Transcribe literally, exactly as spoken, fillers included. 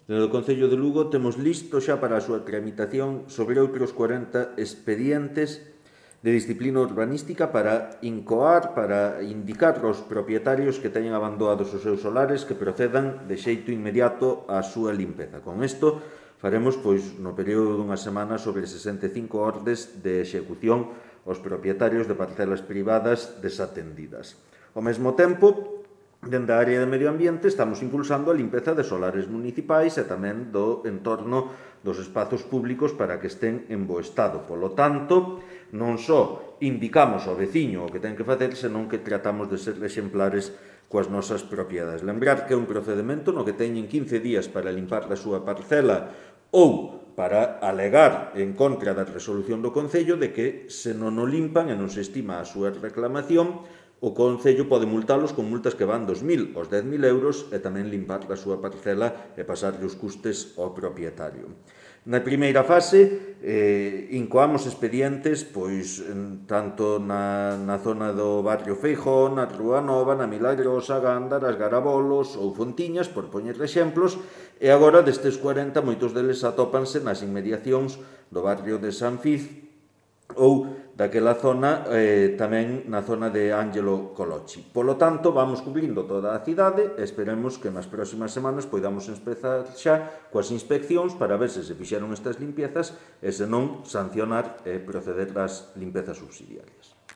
Dende o Concello de Lugo temos listo xa para a súa tramitación sobre outros cuarenta expedientes de disciplina urbanística para incoar, para indicar aos propietarios que teñen abandonados os seus solares que procedan de xeito inmediato á súa limpeza. Con isto faremos, pois, no período dunha semana sobre sesenta e cinco ordes de execución aos propietarios de parcelas privadas desatendidas. Ao mesmo tempo, dende a área de medio ambiente estamos impulsando a limpeza de solares municipais e tamén do entorno dos espazos públicos para que estén en bo estado. Polo tanto, non só indicamos ao veciño o que ten que facer, senón que tratamos de ser exemplares coas nosas propiedades. Lembrar que é un procedimento no que teñen quince días para limpar a súa parcela ou para alegar en contra da resolución do Concello de que se non o limpan e non se estima a súa reclamación, o Concello pode multalos con multas que van dos mil aos dez mil euros e tamén limpar a súa parcela e pasarlle os custes ao propietario. Na primeira fase, eh, incoamos expedientes pois, en, tanto na, na zona do barrio Feijón, na Rúa Nova, na Milagrosa, Gándaras, Garabolos ou Fontiñas, por poñer exemplos, e agora destes cuarenta, moitos deles atópanse nas inmediacións do barrio de San Fiz ou daquela zona, eh, tamén na zona de Ángelo Colochi. Polo tanto, vamos cubrindo toda a cidade e esperemos que nas próximas semanas poidamos empezar xa coas inspeccións para ver se se fixeron estas limpiezas e se non sancionar e proceder ás limpezas subsidiarias.